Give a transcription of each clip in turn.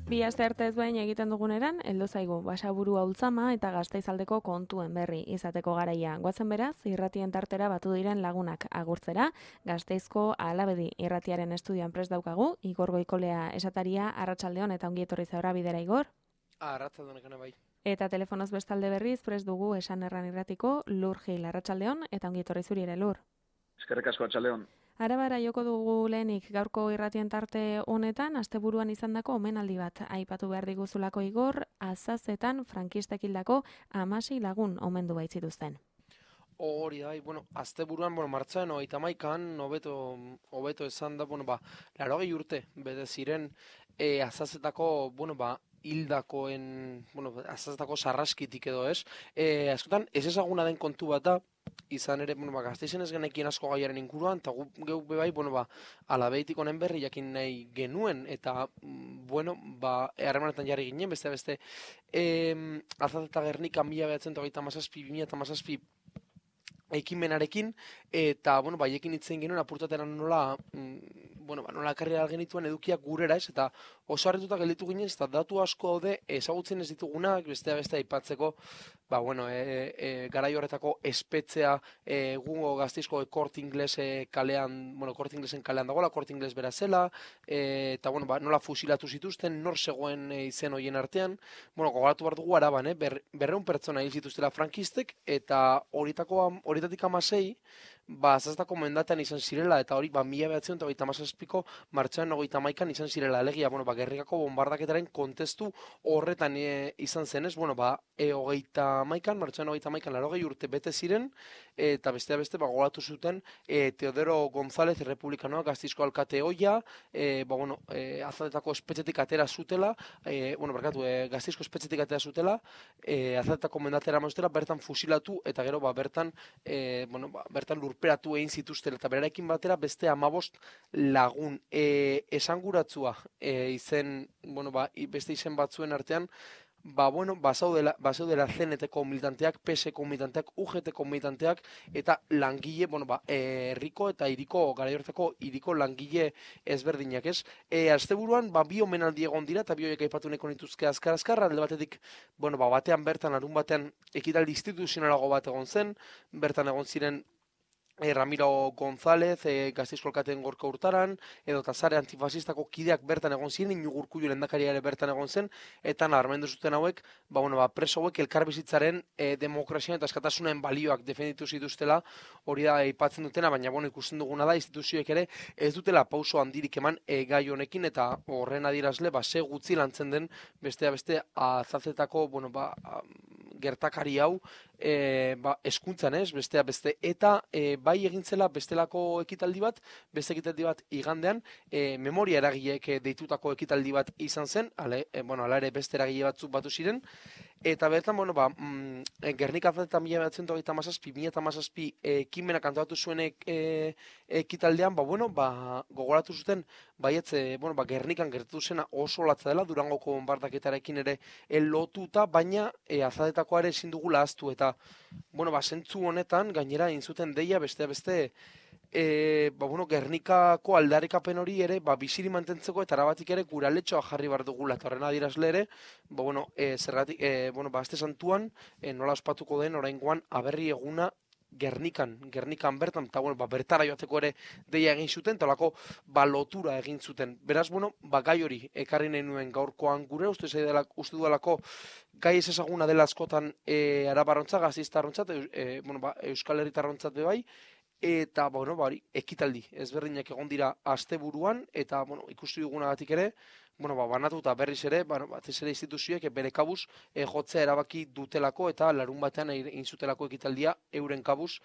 Bi aste arte ezberdin egiten duguneran, heldu zaigu Basaburu Ultzama eta Gasteizaldeko kontuen berri izateko garaia. Goazen beraz, irratien tartera batu diren lagunak agurtzera, Gasteizko Alabedi irratiaren estudioan prest daukagu, Igor Goikolea esataria, arratsaldeon eta ongi etorri zaura bidera, Igor. Arratsaldeon ekana bai. Eta telefonoz bestalde berriz prest dugu Esan Erran irratiko Lur Gil, arratsaldeon eta ongi etorri zuri ere, Lur. Eskerrik asko, atxaldeon. Arabara joko dugu lehenik gaurko irratien tarte honetan, asteburuan izandako omenaldi bat aipatu behar diguzulako, Igor, Azazetan frankistek hildako 16 lagun omendu baitzituzten. Hori da, asteburuan, martxoaren 31an, hobeto esan da, 80 urte, bete ziren, Azazetako, hildakoen, Azazetako sarraskitik edo ez. Askotan, ez ezaguna den kontu bat da, izan ere, Gasteizen ez genekien asko gaiaren inguruan, eta geu bebai, Alabeitik honen berri jakin nahi genuen, eta, harremanetan jarri ginen, beste, Azazeta Gernika 1937-2017 ekimenarekin, eta, haiekin hitzen genuen, apurtateran nola, nola ekarri genituen edukiak gurera ez, eta oso harrituta gelditu ginen, eta datu asko daude ezagutzen ez ditugunak, beste aipatzeko, garai horretako espetzea, gungo Gasteizko Korte Inglés kalean, Korte Inglesen kalean dagoela, Korte Inglés bera zela, eta, nola fusilatu zituzten, nor zegoen izen hoien artean, gogoratu behar dugu Araban, 200 pertsona hil zituztela frankistek, eta horietatik 16, Azazetako mendatean izan zirela, eta hori, 1937ko martxoaren 31an izan zirela, alegia, Gernikako bombardaketaren kontestu horretan izan zenez, martxoaren 31an 80 urte bete ziren, eta beste, gogoratu zuten, Teodoro González, republikanoa, Gasteizko alkate ohia, Azazetako espetxetik atera zutela, Gasteizko espetxetik atera zutela, Azazetako mendatera mazutela, bertan fusilatu, eta gero, bertan lurperatu egin zituzten, eta berarekin batera beste 15 lagun. Esanguratzua izen, beste izen batzuen artean, bazaudela CNT-ko militanteak, PS-ko militanteak, UGT-ko militanteak, eta langile, herriko eta hiriko, garai horretako hiriko langile ezberdinak, ez? Asteburuan, bi omenaldi egon dira, eta bi horiek aipatu nahiko nituzke azkar, alde batetik, batean bertan, arun batean, ekitaldi instituzionalago bat egon zen, bertan egon ziren Ramiro González, Gasteizko alkateen Gorka Hurtaran, edo Sare antifasistako kideak bertan egon ziren, Iñigo Urkullu lehendakaria ere bertan egon zen, eta nabarmendu zuten hauek, preso hauek elkarbizitzaren demokrazian eta askatasunen balioak defenditu zituztela, hori da aipatzen dutena, baina ikusten duguna da, instituzioek ere ez dutela pauso handirik eman gai honekin, eta horren adierazle, ze gutxi lantzen den, beste Azazetako, gertakari hau, eskuntzan ez, beste, eta bai egintzela bestelako ekitaldi bat, beste ekitaldi bat igandean, memoria eragileek deitutako ekitaldi bat izan zen, ala ere beste eragile batzuk batu ziren, eta bertan, Gernika Azazetan 1917-2017 ekimenak antolatu zuen ekitaldean, gogoratu zuten, Gernikan gertatu zena oso latza dela, Durangoko bombardaketarekin ere lotuta, baina Azazetako ere ezin dugu ahaztu, eta zentzu honetan, gainera inzuten deia beste, Gernikako aldarrikapen hori ere, biziri mantentzeko eta arabatik ere guraletxoa jarri behar dugula, eta horren adierazle ere, zergatik, aste santuan, nola ospatuko den oraingoan aberri eguna Gernikan bertan, eta bertara joateko ere deia egin zuten, eta olako lotura egin zuten. Beraz, gai hori ekarri nahi nuen gaurkoan gure, uste dudalako gai ez ezaguna dela askotan arabarrontzat, Gasteiztarrontzat, Euskal Herritarrontzat bebai, eta, ekitaldi ezberdinak egon dira asteburuan, eta, ikusi dugunagatik ere, banatuta berriz ere, batez ere instituzioek bere kabuz jotzea erabaki dutelako, eta larun batean egin zutelako ekitaldia euren kabuz,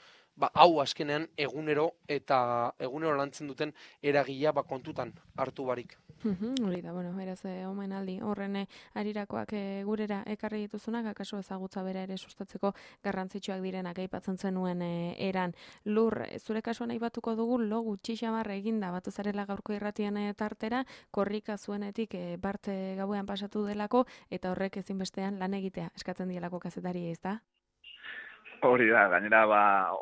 hau azkenean egunero lantzen duten eragilea kontutan hartu barik. Hori da, beraz, omenaldi horren arirakoak gurera ekarri dituzunak, akaso ezagutza bera ere sustatzeko garrantzitsuak direnak aipatzen zenuen eran. Lur, zure kasuan aipatuko dugu, lo gutxi xamarra eginda batu zarela gaurko irratien tartera, korrika zuenetik bart gauean pasatu delako, eta horrek ezinbestean lan egitea eskatzen dielako kazetari, ez da? Hori da, gainera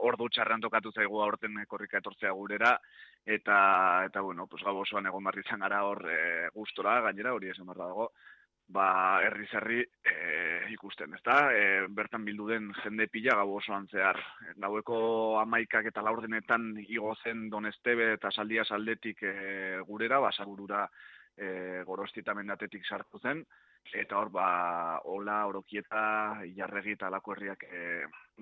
ordu txarrean tokatu zaigu aurten korrika etortzea gurera, eta bueno, pues gau osoan egon barri izan gara hor gustora, gainera hori esan barra dago, herriz herri ikusten, ezta? Bertan bildu den jende pila gau osoan zehar. Gaueko 11 eta laurdenetan igo zen Donestebe eta Saldia saldetik gurera, Basagurura Gorosti eta Mendatetik sartu zen, eta hor Ola, Orokieta, Ilarregi eta Alako herriak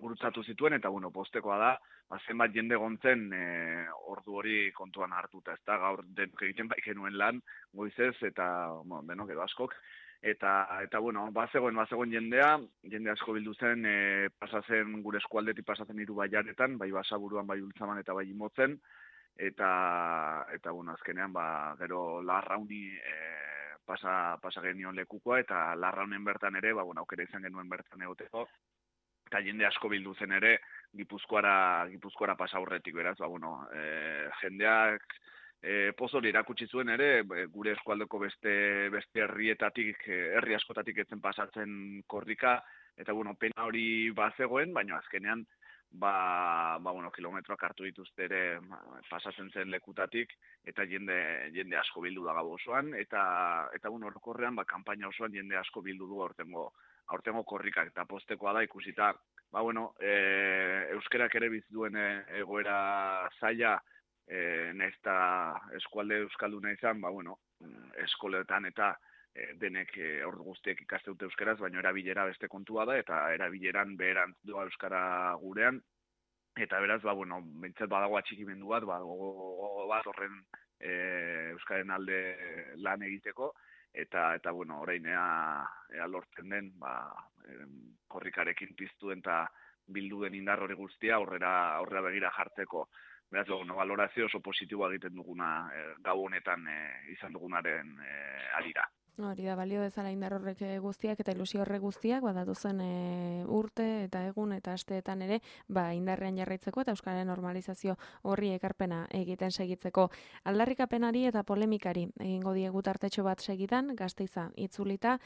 gurutzatu zituen, eta bueno, postekoa da, zenbat jende gontzen ordu hori kontuan hartuta, ezta? Gaur denok egiten bai genuen lan, goizez, eta bueno, denok edo askok, eta bueno, bazegoen jende asko bildu zen, pasatzen gure eskualdetik pasatzen 3 bailaretan, bai Basaburuan, bai Ultzaman eta bai Imotzen, eta bueno, azkenean gero Larrauni pasa genion lekukoa, eta Larraunen bertan ere, bueno, aukera izan genuen bertan egoteko, eta jende asko bildu zen ere Gipuzkoara pasa aurretik, beraz, bueno, jendeak pozori erakutsi zuen ere, gure eskualdeko beste herrietatik, herri askotatik etzen pasatzen korrika, eta bueno, pena hori bazegoen, baina azkenean bueno, kilometroak hartu dituzte ere pasatzen zen lekutatik, eta jende asko bildu da gau osoan, eta bueno, orokorrean, kanpaina osoan jende asko bildu du aurtengo korrikak, eta postekoa da ikusita, bueno, euskerak ere bizituen egoera zaila, nahiz eta eskualde euskalduna izan, bueno, eskoletan eta denek ordu guztiek ikaste dute euskeraz, baina erabilera beste kontua da, eta erabileran beherantz doa euskara gurean, eta beraz, bueno, bintzat badago atxikimendu bat horren euskaren alde lan egiteko, eta bueno, orain ea lortzen den, korrikarekin piztu den eta bildu den indar hori guztia aurrera begira jartzeko. Beraz, valorazio oso positiboa egiten duguna gau honetan izan dugunaren arira. Hori da, balio dezala indar horrek guztiak eta ilusio horrek guztiak, datozen urte eta egun eta asteetan ere, indarrean jarraitzeko eta euskararen normalizazio horri ekarpena egiten segitzeko. Aldarrikapenari eta polemikari egingo diegu tartetxo bat segidan, Gasteiza itzulita,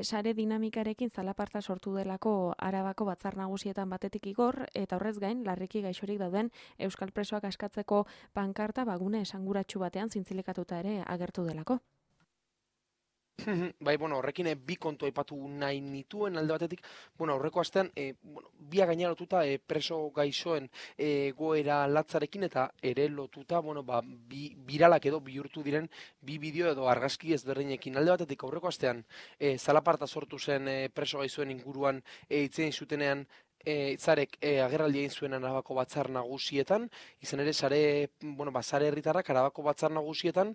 sare dinamikarekin zalaparta sortu delako Arabako batzar nagusietan batetik igor, eta horrez gain, larriki gaixorik dauden euskal presoak askatzeko pankarta gune esanguratsu batean zintzilikatuta ere agertu delako. Bai, bueno, horrekin bi kontu aipatu nahi nituen alde batetik, bueno, aurreko astean, bia gaina lotuta preso gaixoen goera latzarekin eta ere lotuta, bueno, biralak edo bihurtu diren bi bideo edo argazki ezberdinekin. Alde batetik aurreko astean, zalaparta sortu zen preso gaixoen inguruan hitzein zutenean, Zarek agerraldi egin zuen Arabako batzar nagusietan, izan ere sare herritarrak Arabako batzar nagusietan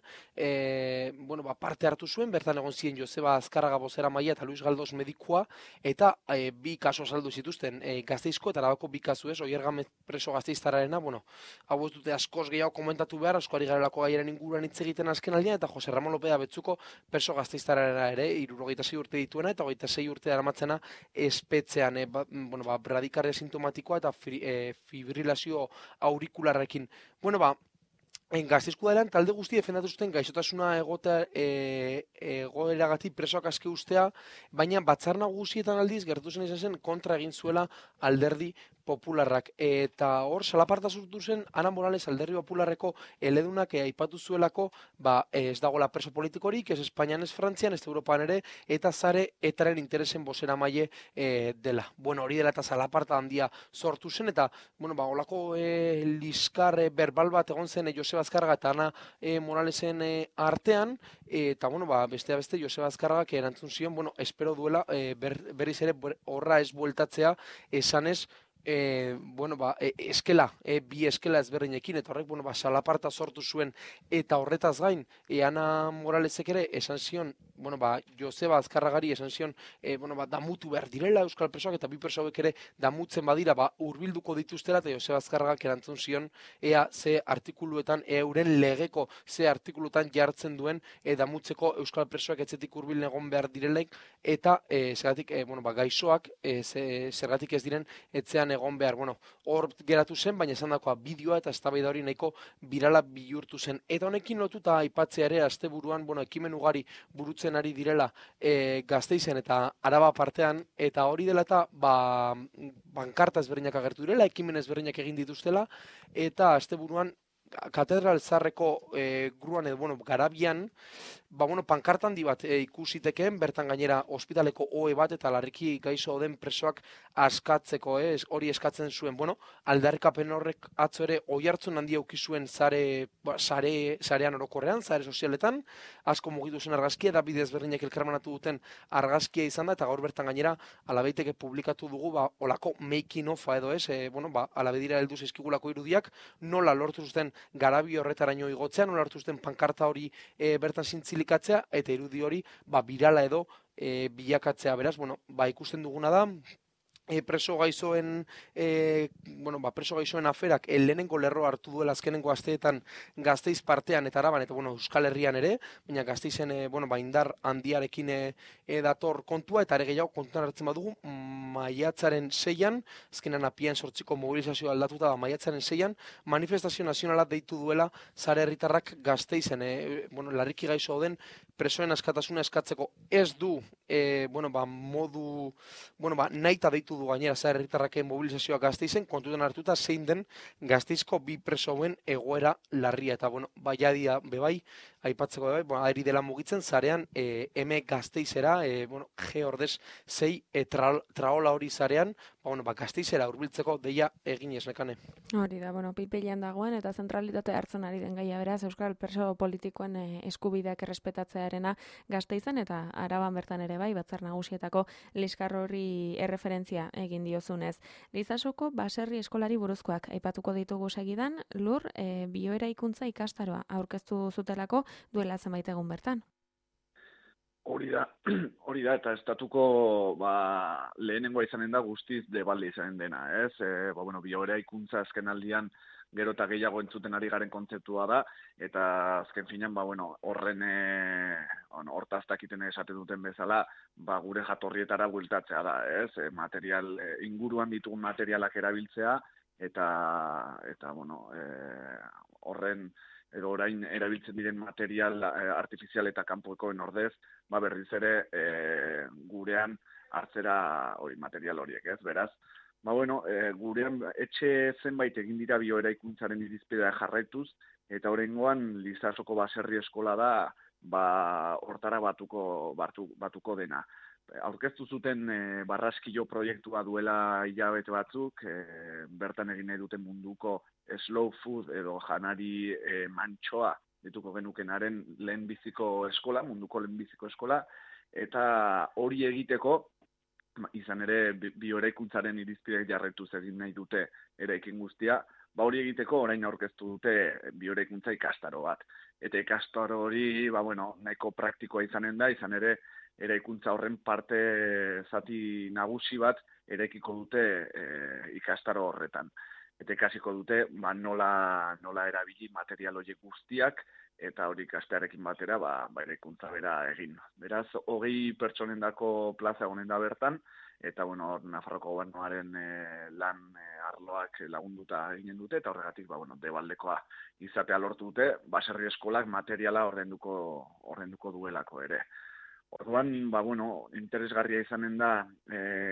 parte hartu zuen, bertan egon ziren Joseba Azkarraga bozeramailea eta Luis Galdos medikua, eta bi kaso saldu zituzten Gasteizko eta Arabako bi kasu Oier Gamez preso gasteiztarrarena, hau ez dute askoz gehiago komentatu behar, askoari garelako gaiaren inguruan hitz egiten azken aldean, eta Jose Ramon Lopea Betzuko preso gasteiztarrarena ere, 76 urte dituena eta 26 urte daramatzena espetzean, radikarria sintomatikoa eta fibrilazio aurikularrekin. Gasteizko dela talde guzti defendatu zuten gaixotasuna egoeragatik presoak aske ustea, baina batzar nagusietan aldiz gertu zen izan zen kontra egin zuela alderdi popularrak. Eta hor, salaparta sortu zen Ana Morales alderdi popularreko eledunak aipatu zuelako, ez dagoela preso politikorik, ez Espainian, ez Frantzian, ez Europan ere, eta zare etaren interesen bozeramaile dela. Hori dela eta salaparta handia sortu zen, eta olako liskar berbal bat egon zen Joseba Azkarraga eta Ana Moralesen artean, eta bestea beste Joseba Azkarragak erantzun zion, espero duela berriz ere horra ez bueltatzea esanez, eskela, bi eskela ezberdinekin, eta horrek, salaparta sortu zuen, eta horretaz gain, Ana Moralesek ere esan zion, Joseba Azkarragari esan zion, damutu behar direla euskal presoak, eta bi preso hauek ere damutzen badira, hurbilduko dituztela, eta Joseba Azkarragak erantzun zion, ea ze artikuluetan, euren legeko ze artikuluetan jartzen duen, damutzeko euskal presoak etzetik hurbil egon behar direlaik, eta zergatik, gaixoak, zergatik ez diren etzean egon behar, hor geratu zen, baina esan dakoa bideoa eta eztabaida hori nahiko birala bihurtu zen. Eta honekin lotuta aipatzea ere asteburuan, ekimen ugari burutzen sortzen ari direla Gasteizen eta Araba partean, eta hori dela eta bankarta ezberdinak agertu direla, ekimen ezberdinak egin dituztela, eta asteburuan Katedral Zaharreko gruan edo, garabian, pankarta handi bat ikusitekeen, bertan gainera ospitaleko ohe bat eta larriki gaixo den presoak askatzeko, hori eskatzen zuen, aldarrikapen horrek atzo ere oihartzun handia eduki zuen sarean orokorrean, sare sozialetan, asko mugitu zen argazkia, da bidez berdinak elkarmanatu duten argazkia izan da, eta gaur bertan gainera alabeiteke publikatu dugu, olako making ofa edo alabedira heldu zaizkigulako irudiak, nola lortu zuten garabi horretaraino igotzea, nola lortu zuten pankarta hori bertan zintzilikatzea, eta irudi hori birala edo bilakatzea. Beraz, ikusten duguna da, preso gaixoen aferak lehenengo lerro hartu duela azkenengo asteetan Gasteiz partean eta Araban, eta Euskal Herrian ere, baina Gasteizen indar handiarekin dator kontua, eta ere gehiago kontuan hartzen badugu, maiatzaren 6an, azkenan apian 8ko mobilizazioa aldatuta da, maiatzaren 6an, manifestazio nazionala deitu duela sare herritarrak Gasteizen, larriki gaixo den presoen askatasuna eskatzeko. Ez du nahita deitu du gainera sare herritarraken mobilizazioa Gasteizen, kontutan hartuta zein den Gasteizko bi presoen egoera larria, eta baiadia bebai, aipatzeko bebai, ari dela mugitzen zarean Gasteizera, G ordez 6 traola hori zarean, Gasteizera hurbiltzeko deia eginez, Nekane. Hori da, pilpilean dagoen eta zentralitate hartzen ari den gaia, beraz, Euskal preso politikoen eskubideak errespetatzearena Gasteizen eta Araban bertan ere bai, Batzar Nagusietako liskar hori erreferentzia egin diozunez. Lizasoko baserri eskolari buruzkoak aipatuko ditugu segidan, Lur, bioeraikuntza ikastaroa aurkeztu zutelako duela zenbait egun bertan. Hori da, eta estatuko lehenengoa izanen da guztiz debalde izanen dena, ez? Bioeraikuntza azken aldian gero eta gehiago entzuten ari garen kontzeptua da, eta azken finean, horren hortaztakiten esaten duten bezala, gure jatorrietara bueltatzea da, ez? Inguruan ditugun materialak erabiltzea, eta horren edo orain erabiltzen diren material artifizial eta kanpokoen ordez, berriz ere gurean hartzera material horiek, ez? Beraz, gurean etxe zenbait egin dira bioeraikuntzaren irizpidea jarraituz, eta oraingoan Lizasoko baserri eskola da hortara batuko dena. Aurkeztu zuten barraskilo proiektua duela hilabete batzuk, bertan egin nahi duten munduko slow food edo janari mantxoa dituko genukenaren lehenbiziko eskola, munduko lehenbiziko eskola, eta hori egiteko, izan ere bioeraikuntzaren irizpideak jarraituz egin nahi dute eraikin guztia, hori egiteko orain aurkeztu dute bioeraikuntza ikastaro bat. Eta ikastaro hori, nahiko praktikoa izanen da, izan ere eraikuntza horren parte zati nagusi bat eraikiko dute ikastaro horretan. Eta ikasiko dute nola erabili material horiek guztiak, eta hori ikastearekin batera eraikuntza bera egin. Beraz, 20 pertsonendako plaza honen da bertan, eta Nafarroko gobernuaren lan arloak lagunduta eginen dute, eta horregatik debaldekoa izatea lortu dute, baserri eskolak materiala ordenduko duelako ere. Orduan, interesgarria izanen da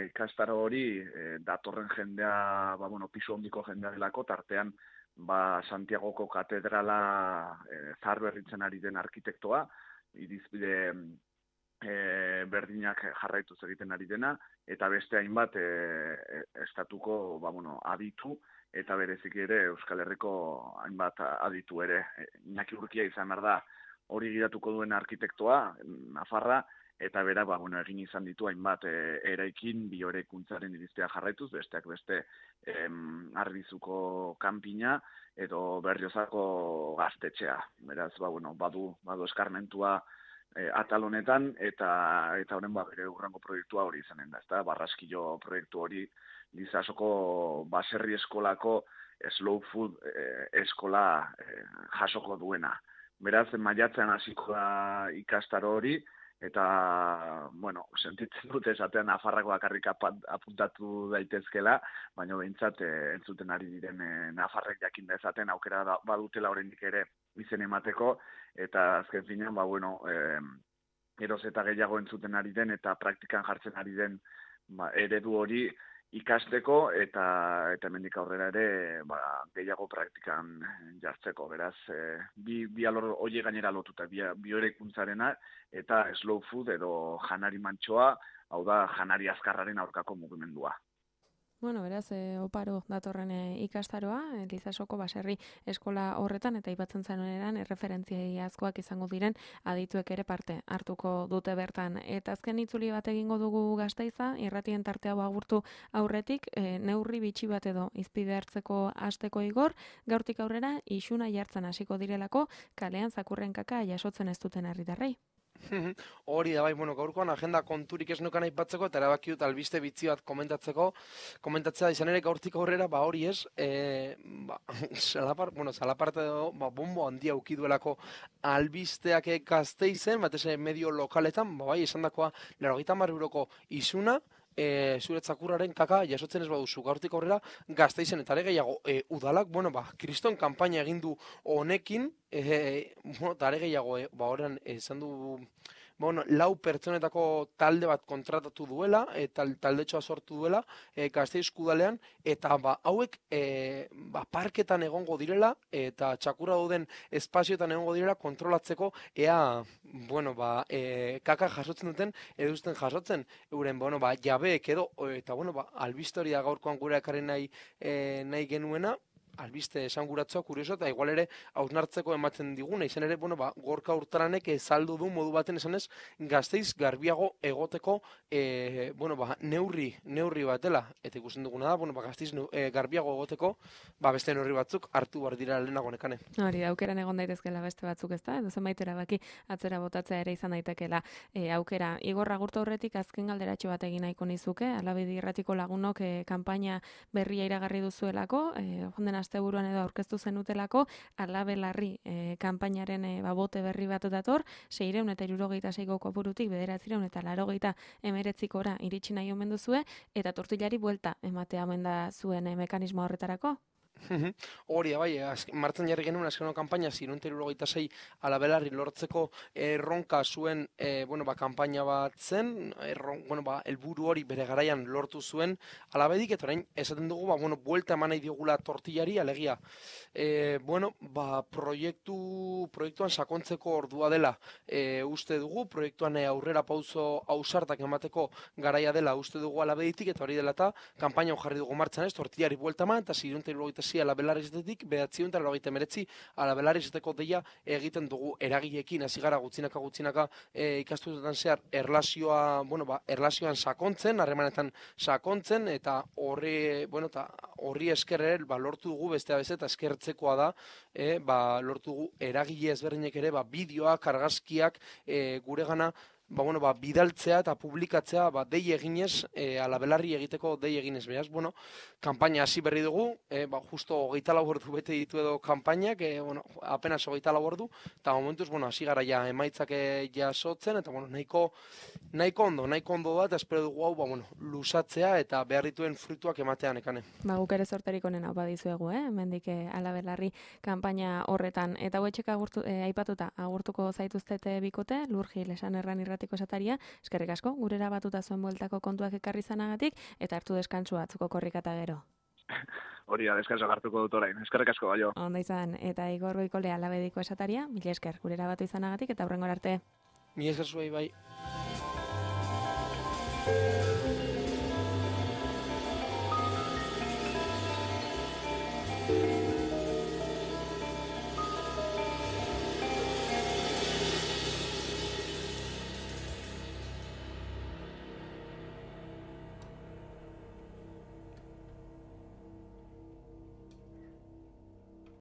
ikastaro hori datorren jendea, pisu hondiko jendea delako, tartean Santiagoko katedrala zaharberritzen ari den arkitektoa, irizpide berdinak jarraituz egiten ari dena, eta beste hainbat estatuko aditu, eta berezik ere Euskal Herriko hainbat aditu ere. Iñaki Urkia izan behar da hori gidatuko duen arkitektoa, Nafarra, eta bera egin izan ditu hainbat eraikin bioeraikuntzaren irizpidea jarraituz, besteak beste Arbizuko kanpina edo Berriozako gaztetxea. Beraz, badu eskarmentua atal honetan, eta horren bere urrango proiektua hori izanen da, ezta? Barraskilo proiektu hori Lizasoko baserri eskolako slow food eskola jasoko duena. Beraz, maiatzean hasiko da ikastaro hori, eta, sentitzen dut esatean Nafarrak bakarrik apuntatu daitezkela, baina behintzat entzuten ari diren Nafarrek jakin dezaten aukera badutela oraindik ere izen emateko, eta azken finean, eroz eta gehiago entzuten ari den eta praktikan jartzen ari den eredu hori ikasteko eta hemendik aurrera ere gehiago praktikan jartzeko. Beraz, bi alor hori gainera lotuta, bioeraikuntzarena eta slow food edo janari mantsoa, hau da janari azkarraren aurkako mugimendua. Bueno, beraz, oparo datorren ikastaroa, Elizasoko baserri eskola horretan, eta aipatzen zanuenean erreferentziazkoak izango diren adituek ere parte hartuko dute bertan. Eta azken itzuli bat egingo dugu Gasteiza, irratien tartea agurtu aurretik, neurri bitxi bat edo izpide hartzeko hasteko igor, gaurtik aurrera isuna jartzen hasiko direlako, kalean zakurren kaka jasotzen ez duten herritarrei. Hori da bai, gaurkoan agenda konturik ez nukan aipatzeko eta erabaki dut albiste bitzi bat komentatzea izan ere gaurtik aurrera, hori ez, salaparte bombo handia uki duelako albisteak Gasteizen, batez medio lokaletan, bai, esan dakoa, 80 euroko isuna, zure zakurraren kaka jasotzen ez baduzu gaurtik aurrera Gasteizen eta ere gehiago udalak, kriston kanpaina egin du honekin, eta ere gehiago, horren esan du, 4 pertsonetako talde bat kontratatu duela, eta taldetxoa sortu duela Gasteizko udalean, eta hauek parketan egongo direla, eta txakurra duden espazioetan egongo direla kontrolatzeko ea, kaka jasotzen duten, eduzten jasotzen, euren, jabeek edo, eta albiste hori da gaurkoan gure ekarri nahi genuena, albiste esanguratzea, kurioso, eta igual ere hausnartzeko ematen diguna, izan ere, Gorka Urtaranek saldu du modu baten esanez Gasteiz garbiago egoteko neurri batela, eta ikusten duguna da, Gasteiz garbiago egoteko, beste neurri batzuk hartu behar dira lehenago nekane. Hori, aukeran egon daitezkela beste batzuk ez da, edo zenbait erabaki atzera botatzea ere izan daitekela aukera. Igor agurtu horretik azken galderatxo bat egin nahiko nizuke, Alabedi Irratiko lagunok kanpaina berria iragarri duzuelako, jonden asteburuan edo aurkeztu zenutelako, Alabelarri kanpainaren bote berri bat dator, 676 kopurutik 989 iritsi nahi omen duzue, eta tortillari buelta ematea omen da zuen mekanismo horretarako? Hori da, bai, martzen jarri genuen azkeneko kanpaina 676 Alabelarri lortzeko erronka zuen, kanpaina bat zen, helburu hori bere garaian lortu zuen Alabedik, eta orain esaten dugu, buelta eman nahi diogula tortillari, alegia, proiektuan sakontzeko ordua dela uste dugu, proiektuan aurrera pauso ausartak emateko garaia dela uste dugu Alabeditik, eta hori dela eta kanpaina jarri dugu martzan ez, tortillari buelta eman, eta 676 Alabelarri izatetik, 999 Alabelarri izateko deia egiten dugu eragileekin, hasi gara gutxinaka ikastuetan zehar erlazioan sakontzen, harremanetan sakontzen, eta horri esker ere lortu dugu bestea beste, eta eskertzekoa da, lortu dugu eragile ezberdinek ere, bideoak, argazkiak guregana bidaltzea eta publikatzea dei eginez, Alabelarri egiteko dei eginez, beraz, kanpaina hasi berri dugu, justo 24 ordu bete ditu edo kanpainak, apenas 24 ordu, eta momentuz, hasi gara ja emaitzak jasotzen, eta nahiko ondo da, eta espero dugu hau, lusatzea eta behar dituen fruituak ematean ekane. Guk ere sorterik honen hau badizuegu, hemendik Alabelarri kanpaina horretan, eta hauetxek aipatuta agurtuko zaituztete bikote, Lurgil esan erran irratiko esataria, eskerrik asko, gurera batuta zuen bueltako kontuak ekarri zanagatik, eta hartu deskantzua atzuko korrikata gero. Hori da, deskantzua hartuko dut orain, eskerrik asko, baio. Onda izan, eta Igor Goikole Alabediko esataria, mila esker, gurera batu izanagatik, eta hurrengor arte. Mila esker zuei bai.